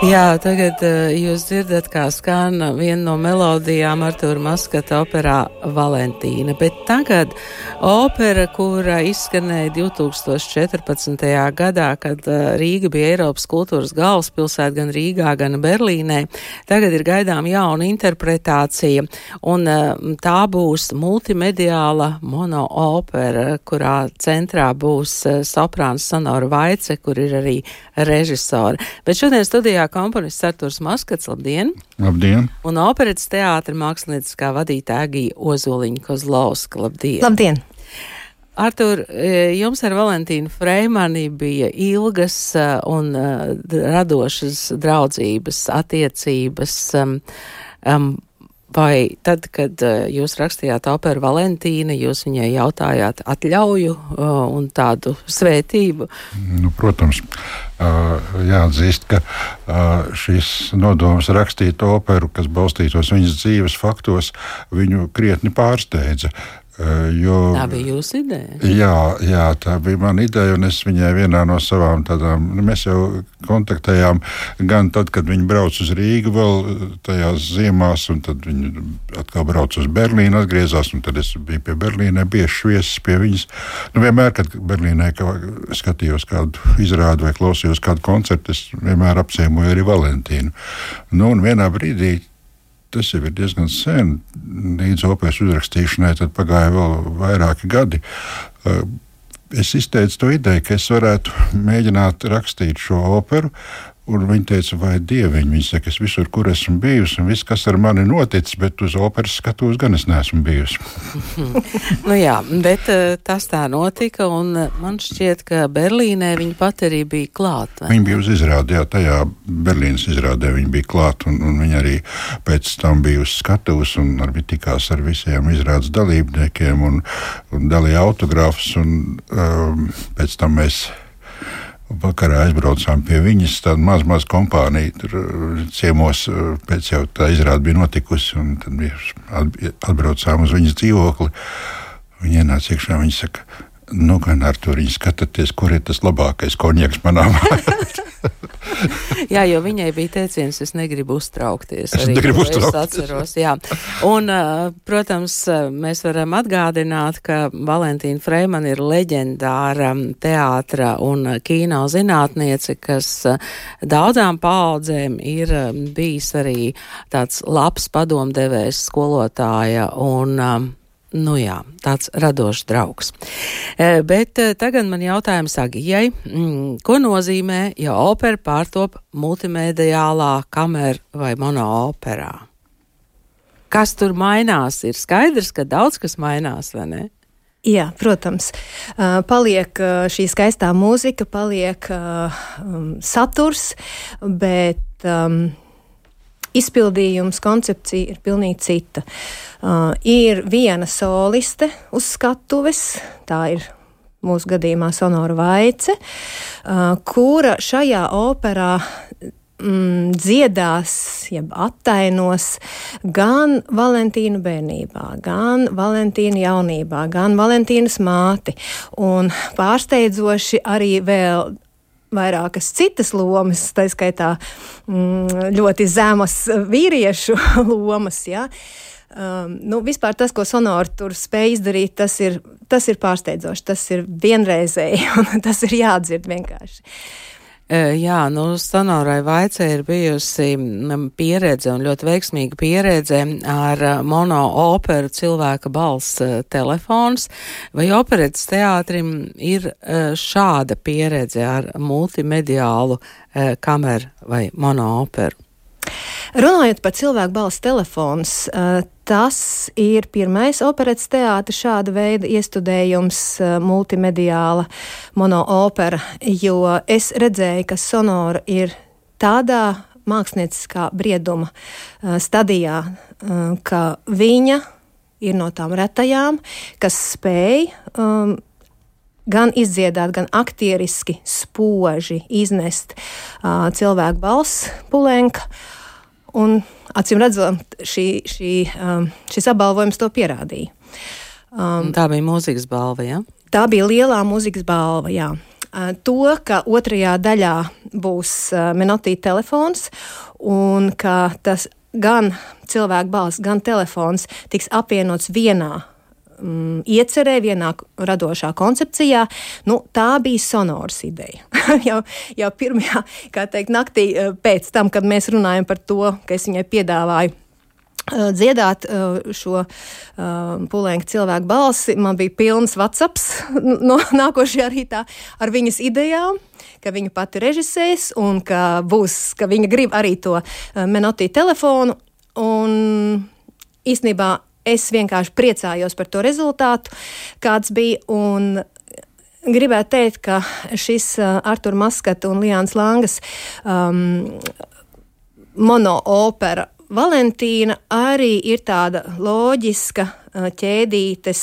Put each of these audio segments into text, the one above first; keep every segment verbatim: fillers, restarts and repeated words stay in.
Jā, tagad uh, jūs dzirdat, kā skan viena no melodijām Artūra Maskata operā Valentīna, bet tagad opera, kura izskanēja divi tūkstoši četrpadsmitajā gadā, kad uh, Rīga bija Eiropas kultūras galvaspilsēta gan Rīgā, gan Berlīnē, tagad ir gaidām jauna interpretācija, un uh, tā būs multimediāla monoopera, kurā centrā būs uh, soprāns Sonora Vaice, kur ir arī režisori. Bet šodien studijā komponists Artūrs Maskats, labdien! Labdien! Un operetes teātra mākslinieckā vadītāja Agija Ozoliņa-Kozlovska, labdien! Labdien! Artūr, jums ar Valentīnu Freimani bija ilgas un radošas draudzības attiecības. Um, um, Vai tad, kad jūs rakstījāt operu Valentīna, jūs viņai jautājāt atļauju uh, un tādu svētību? Nu, protams, uh, jāatzīst, ka uh, šis nodoms rakstīt operu, kas balstītos viņas dzīves faktos, viņu krietni pārsteidza. Uh, jo, tā bija jūsu ideja? Jā, jā, tā bija mana ideja, un es viņai vienā no savām tādām, nu, mēs jau kontaktējām gan tad, kad viņi brauc uz Rīgu vēl tajās ziemās, un tad viņi atkal brauc uz Berlīnu, atgriezās, un tad es biju pie Berlīnē, bieži viesis pie viņas. Nu, vienmēr, kad Berlīnē kā, skatījos kādu izrādu vai klausījos kādu koncertu, es vienmēr apciemoju arī Valentīnu. Nu, un vienā brīdī, tas jau ir diezgan sen, līdz operas uzrakstīšanai, tad pagāja vēl vairāki gadi. Es izteicu to ideju, ka es varētu mēģināt rakstīt šo operu, un viņi teica, vai dieviņi, viņi saka, es visur, kur esmu bijusi, un viss, kas ar mani noticis, bet uz operas skatos gan es neesmu bijusi. Nu jā, bet tas tā notika, un man šķiet, ka Berlīnē viņa pat arī bija klāt. Viņa bija uz izrādi, jā, tajā Berlīnas izrādē viņa bija klāt, un, un viņa arī pēc tam bija uz skatuves, un arī tikās ar visiem izrādes dalībniekiem, un, un dalīja autogrāfus, un um, pēc tam mēs vakarā aizbraucām pie viņas, tāda maz, maz kompānija, tur ciemos pēc jau tā izrāde bija notikusi, un tad atbraucām uz viņas dzīvokli. Viņa ienāca iekšā, viņa saka, nu gan Artūr, viņa skatāties, kur ir tas labākais konjaks manā mājā. Jā, jo viņai bija teiciens, es negribu uztraukties. Es arī, negribu es uztraukties. Atceros, jā. Un, protams, mēs varam atgādināt, ka Valentīna Freimani ir leģendāra teātra un kino zinātniece, kas daudzām paaudzēm ir bijis arī tāds labs padomdevējs, skolotāja un nu jā, tāds radošs draugs. E, bet e, tagad man jautājums Agijai, mm, ko nozīmē, ja opera pārtop multimediālā, kamer vai monooperā? Kas tur mainās? Ir skaidrs, ka daudz kas mainās, vai ne? Jā, protams. Uh, paliek uh, šī skaistā mūzika, paliek uh, um, saturs, bet um, izpildījums, koncepcija ir pilnīgi cita. Uh, ir viena soliste uz skatuves, tā ir mūsu gadījumā Sonora Vaice, uh, kura šajā operā mm, dziedās, jeb attainos gan Valentīnu bērnībā, gan Valentīnu jaunībā, gan Valentīnas māti, un pārsteidzoši arī vēl vairākas citas lomas, tā skaitā mm, ļoti zemas vīriešu lomas, jā. Um, nu, vispār tas, ko Sonora tur spēj izdarīt, tas ir, tas ir pārsteidzoši, tas ir vienreizēji, un tas ir jādzird vienkārši. Jā, nu, Sonorai Vaicei ir bijusi pieredze un ļoti veiksmīga pieredze ar monooperu Cilvēka balss telefons. Vai operetes teātrim ir šāda pieredze ar multimediālu kameru vai monooperu? Runājot par Cilvēku balss telefons, tas ir pirmais operetes teātra šāda veida iestudējums, multimediāla monoopera, jo es redzēju, ka Sonora ir tādā mākslinieckā brieduma stadijā, ka viņa ir no tām retajām, kas spēj um, gan izdziedāt, gan aktieriski spoži iznest uh, cilvēku balss pulenka. Un, acīm redzot, šī, šī, um, šis apbalvojums to pierādīja. Um, tā bija mūzikas balva, jā? Tā bija lielā mūzikas balva, jā. to, ka otrajā daļā būs Menotī telefons un ka tas gan cilvēku balss, gan telefons tiks apvienots vienā mm, iecerē, vienā radošā koncepcijā. Nu, tā bija Sonoras ideja. jau, jau pirmajā, kā teikt, naktī pēc tam, kad mēs runājam par to, ka es viņai piedāvāju dziedāt šo Pulenka cilvēku balsi, man bija pilns WhatsApps no nākošajā rītā ar viņas idejām, ka viņa pati režisēs un ka būs, ka viņa grib arī to Menotī telefonu, un īstenībā es vienkārši priecājos par to rezultātu, kāds bija, un gribētu teikt, ka šis Artura Maskata un Liānas Langas um, monoopera Valentīna arī ir tāda loģiska ķēdītes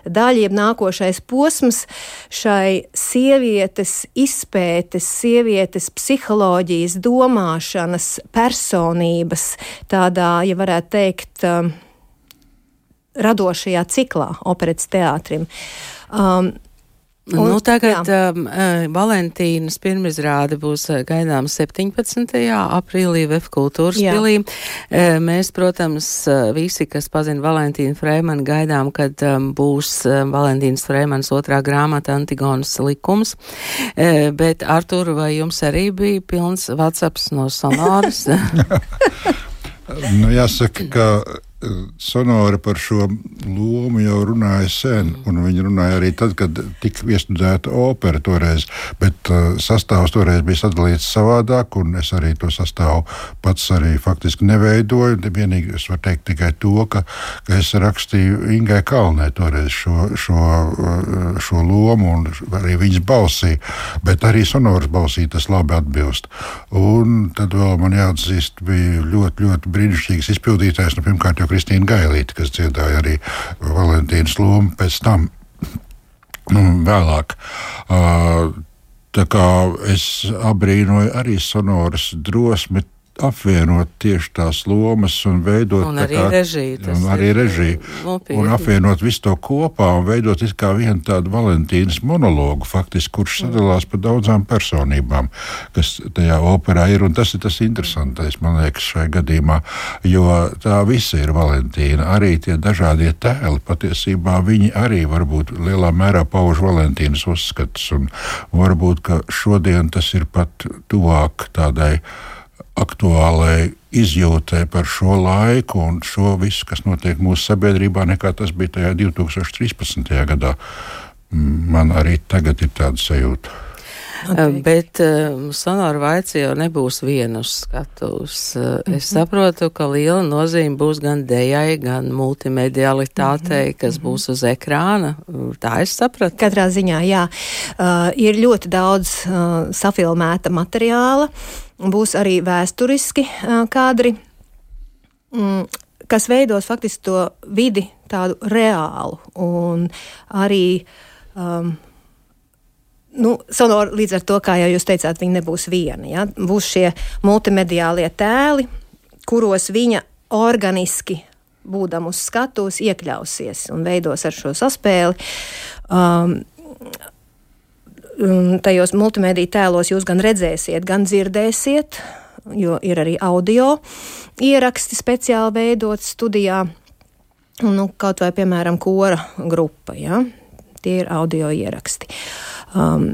daļa, jeb nākošais posms šai sievietes izpētes, sievietes psiholoģijas, domāšanas, personības, tādā, ja varētu teikt, radošajā ciklā operetes teātrim. Um, Un, nu, tagad um, Valentīnas pirmizrāde būs gaidāma septiņpadsmitajā aprīlī Vef kultūras pilī. Mēs, protams, visi, kas pazina Valentīnu Freimanu, gaidām, kad um, būs Valentīnas Freimanas otrā grāmata Antigonas likums. E, bet, Artur, vai jums arī bija pilns WhatsApps no Sonoras? Nu, jāsaka, ka Sonora par šo lomu jau runāja sen, un viņi runāja arī tad, kad tika iestudēta opera toreiz, bet uh, sastāvs toreiz bija sadalīts savādāk, un es arī to sastāvu pats arī faktiski neveidoju. Vienīgi es varu teikt tikai to, ka, ka es rakstīju Ingai Kalnē toreiz šo, šo, šo lomu, un arī viņas balsī, bet arī Sonoras balsī tas labi atbilst. Un tad vēl man jāatzīst, bija ļoti, ļoti brīnišķīgs izpildītājs, nu, pirmkārt jau Kristīna Gailīte, kas dziedāja arī Valentīnas lomu pēc tam, nu, vēlāk. Uh, tā kā es abrīnoju arī Sonoras drosmi apvienot tieši tās lomas un veidot un arī kā, režiju, un arī režiju un apvienot visu to kopā un veidot it kā vienu tādu Valentīnas monologu faktiski, kurš sadalās pa daudzām personībām, kas tajā operā ir, un tas ir tas interesantais, man liekas, šai gadījumā, jo tā visa ir Valentīna, arī tie dažādie tēli, patiesībā viņi arī varbūt lielā mērā pauž Valentīnas uzskatus, un varbūt, ka šodien tas ir pat tuvāk tādai aktuālai izjūtē par šo laiku un šo visu, kas notiek mūsu sabiedrībā, nekā tas bija tajā divi tūkstoši trīspadsmitajā gadā. Man arī tagad ir tāda sajūta. Okay. Bet uh, Sonora Vaica jau nebūs viena uz skatuves. Uh, mm-hmm. Es saprotu, ka liela nozīme būs gan dejai, gan multimedialitātei, mm-hmm. kas būs uz ekrāna. Tā es sapratu. Katrā ziņā, jā. Uh, ir ļoti daudz uh, safilmēta materiāla. Būs arī vēsturiski uh, kadri, mm, kas veidos faktiski to vidi tādu reālu. Un arī um, nu, Sonora līdz ar to, kā jau jūs teicāt, viņa nebūs viena. Ja? Būs šie multimediālie tēli, kuros viņa organiski, būdam uz skatuves, iekļausies un veidos ar šo saspēli. Um, Tajos multimediju tēlos jūs gan redzēsiet, gan dzirdēsiet, jo ir arī audio ieraksti speciāli veidot studijā, nu, kaut vai, piemēram, kora grupa, ja? Tie ir audio ieraksti. Um,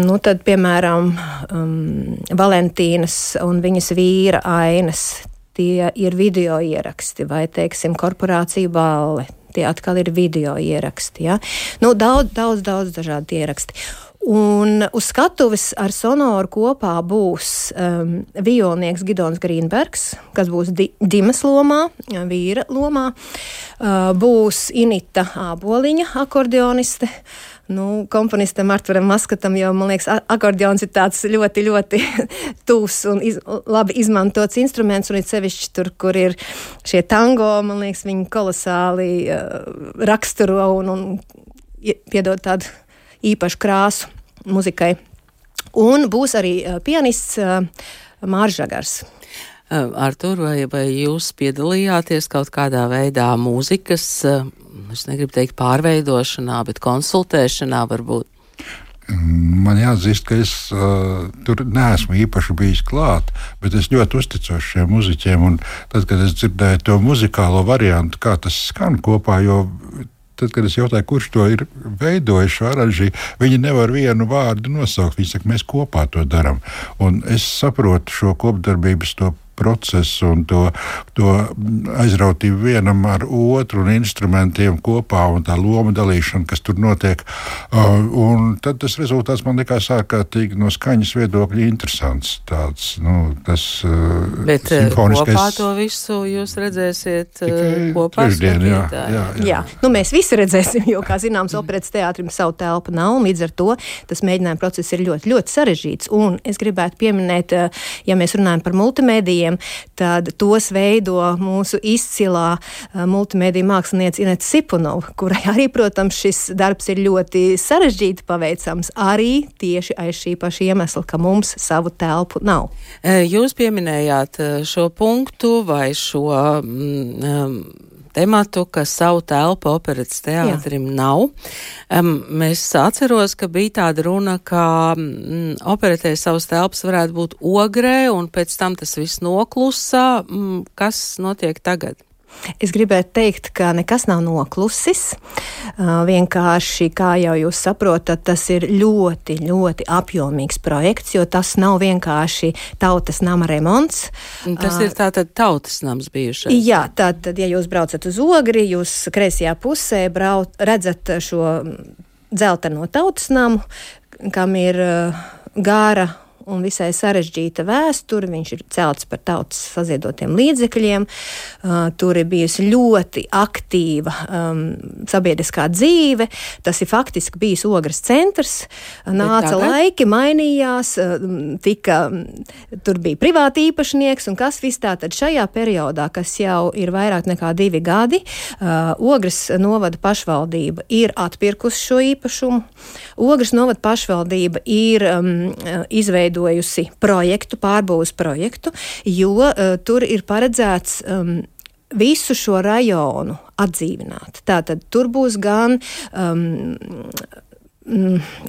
nu, tad, piemēram, um, Valentīnas un viņas vīra ainas, tie ir video ieraksti, vai, teiksim, korporācija balle. Tie atkal ir video ieraksti. Ja? Nu, daudz, daudz, daudz dažādi ieraksti. Un uz skatuves ar Sonoru kopā būs um, violnieks Gidons Grīnbergs, kas būs di- Dimas lomā, vīra lomā. Uh, būs Inita Āboliņa, akordeoniste. Nu, komponistam Arturam Maskatam jau, man liekas, akordeons ir tāds ļoti, ļoti tūs un iz, labi izmantots instruments, un ir sevišķi tur, kur ir šie tango, man liekas, viņi kolosāli uh, raksturo un, un piedod tādu īpašu krāsu muzikai. Un būs arī uh, pianists uh, Mārs Žagars. Artur, vai, vai jūs piedalījāties kaut kādā veidā mūzikas, es negribu teikt pārveidošanā, bet konsultēšanā varbūt? Man jāatzīst, ka es uh, tur neesmu īpaši bijis klāt, bet es ļoti uzticos šiem muziķiem. Un tad, kad es dzirdēju to muzikālo variantu, kā tas skan kopā, jo tad, kad es jautāju, kurš to ir veidojis, šo aranžiju, viņi nevar vienu vārdu nosaukt. Viņi saka, mēs kopā to darām. Un es saprotu šo kopdarbības to procesu un to, to aizrautību vienam ar otru un instrumentiem kopā un tā loma dalīšana, kas tur notiek. Uh, un tad tas rezultāts man likās ārkārtīgi no skaņas viedokļa interesants. Tāds, nu, tas uh, Bet simfoniskais... kopā to visu jūs redzēsiet uh, kopā? Trešdien, jā, jā, jā. jā. Nu, mēs visi redzēsim, jo, kā zināms, operetes teātrim savu telpu nav, un līdz ar to tas mēģinājuma process ir ļoti, ļoti sarežģīts. Un es gribētu pieminēt, ja mēs runājam par multimēdiju, tad tos veido mūsu izcilā uh, multimēdija mākslinieca Ineta Sipunova, kurai arī, protams, šis darbs ir ļoti sarežģīti paveicams, arī tieši aiz šī paša iemesla, ka mums savu telpu nav. Jūs pieminējāt šo punktu vai šo um, tematu, ka savu telpu operetes teātrim Jā. nav. Um, mēs atceros, ka bija tāda runa, ka mm, operetē savas telpas varētu būt Ogrē, un pēc tam tas viss noklusa. Mm, kas notiek tagad? Es gribētu teikt, ka nekas nav noklusis. Uh, vienkārši, kā jau jūs saprotat, tas ir ļoti, ļoti apjomīgs projekts, jo tas nav vienkārši tautas nama remonts. Tas uh, ir tātad tautas nams bijušais. Jā, tātad, ja jūs braucat uz Ogri, jūs kreisajā pusē brauc, redzat šo dzelteno tautas namu, kam ir uh, gāra un visai sarežģīta vēsture. Viņš ir celts par tautas saziedotiem līdzekļiem. Uh, tur ir bijusi ļoti aktīva um, sabiedriskā dzīve. Tas ir faktiski bijis Ogres centrs. Nāca laiki, mainījās, uh, tika, tur bija privāti īpašnieks, un kas viss tātad šajā periodā, kas jau ir vairāk nekā divi gadi, uh, Ogres novada pašvaldība ir atpirkusi šo īpašumu. Ogres novada pašvaldība ir um, izveidojusi projektu, pārbūves projektu, jo uh, tur ir paredzēts um, visu šo rajonu atdzīvināt. Tātad tur būs gan um,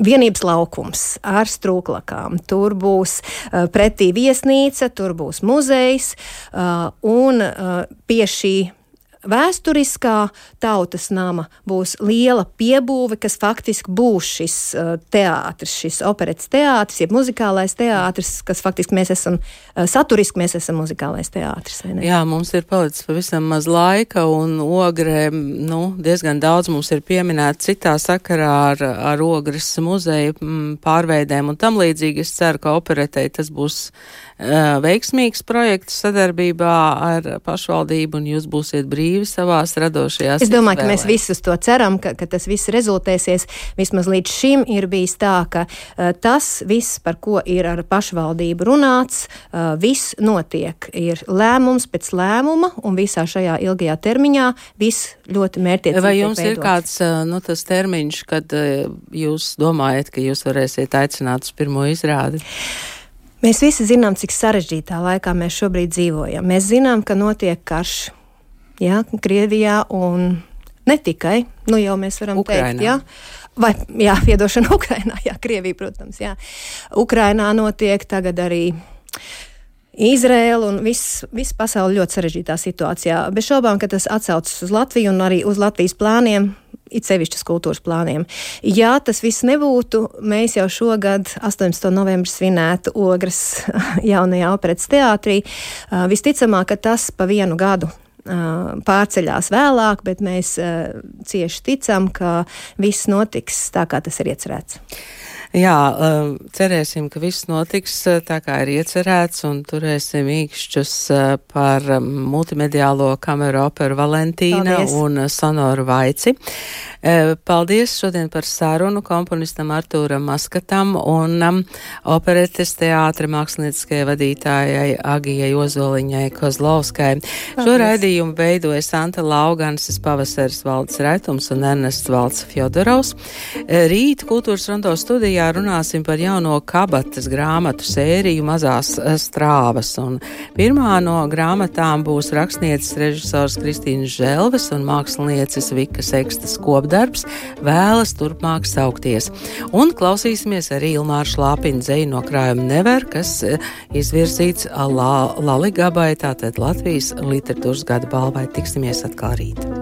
vienības laukums ar strūklakām, tur būs uh, pretī viesnīca, tur būs muzejs, uh, un uh, pie šī vēsturiskā tautas nama būs liela piebūve, kas faktiski būs šis uh, teātris, šis operetes teātris, jeb muzikālais teātris, kas faktiski mēs esam, uh, saturiski mēs esam muzikālais teātris. Jā, mums ir palicis pavisam maz laika, un Ogrē, nu, diezgan daudz mums ir pieminēta citā sakarā ar, ar Ogres muzeju pārveidēm un tam līdzīgi. Es ceru, ka operetei tas būs uh, veiksmīgs projekts sadarbībā ar pašvaldību, un jūs būsiet brīvi savās radošajās. Es domāju, ka mēs visus to ceram, ka, ka tas viss rezultēsies. Vismaz līdz šim ir bijis tā, ka uh, tas viss, par ko ir ar pašvaldību runāts, uh, viss notiek. Ir lēmums pēc lēmuma, un visā šajā ilgajā termiņā viss ļoti mērķiecīgi. Vai jums ir kāds, uh, nu, tas termiņš, kad uh, jūs domājat, ka jūs varēsiet aicināt uz pirmo izrādi? Mēs visi zinām, cik sarežģītā laikā mēs šobrīd dzīvojam. Mēs zinām, ka notiek karš. Jā, Krievijā un ne tikai, nu jau mēs varam Ukrainā. teikt, jā, vai, jā, piedošana Ukrainā, jā, Krievija, protams, jā. Ukrainā notiek tagad arī Izraēla un viss, viss pasauli ļoti sarežģītā situācijā. Bez šaubām, ka tas atsaucas uz Latviju un arī uz Latvijas plāniem, it sevišķas kultūras plāniem. Ja tas viss nebūtu, mēs jau šogad astoņpadsmitā novembrī svinētu Ogres jaunajā operetes teātrī. Visticamāk, ka tas pa vienu gadu pārceļās vēlāk, bet mēs uh, cieši ticam, ka viss notiks tā, kā tas ir iecerēts. Jā, cerēsim, ka viss notiks tā, kā ir iecerēts, un turēsim īkšķus par multimediālo kameru operu Valentīna Paldies. Un sonoru Vaici. Paldies šodien par sarunu komponistam Artūram Maskatam un um, operetes teātra mākslinieckajai vadītājai Agijai Ozoliņai Kozlovskai. Paldies. Šo raidījumu veidoja Santa Lauganses, Pavasaris Valdes Retums un Ernests Valds Fjodorovs. Rīt Kultūras Rondo studijā runāsim par jauno kabatas grāmatu sēriju Mazās strāvas. Un pirmā no grāmatām būs rakstnieces režisors Kristīnas Želves un mākslinieces Vika Sekstas Kopda darbs, vēlas turpmāk saukties. Un klausīsimies arī Ilmāra Šlāpina dzeju no krājuma Never, kas izvirzīts La, Laligabai, tātad Latvijas literatūras gada balvai. Tiksimies atkal rīt.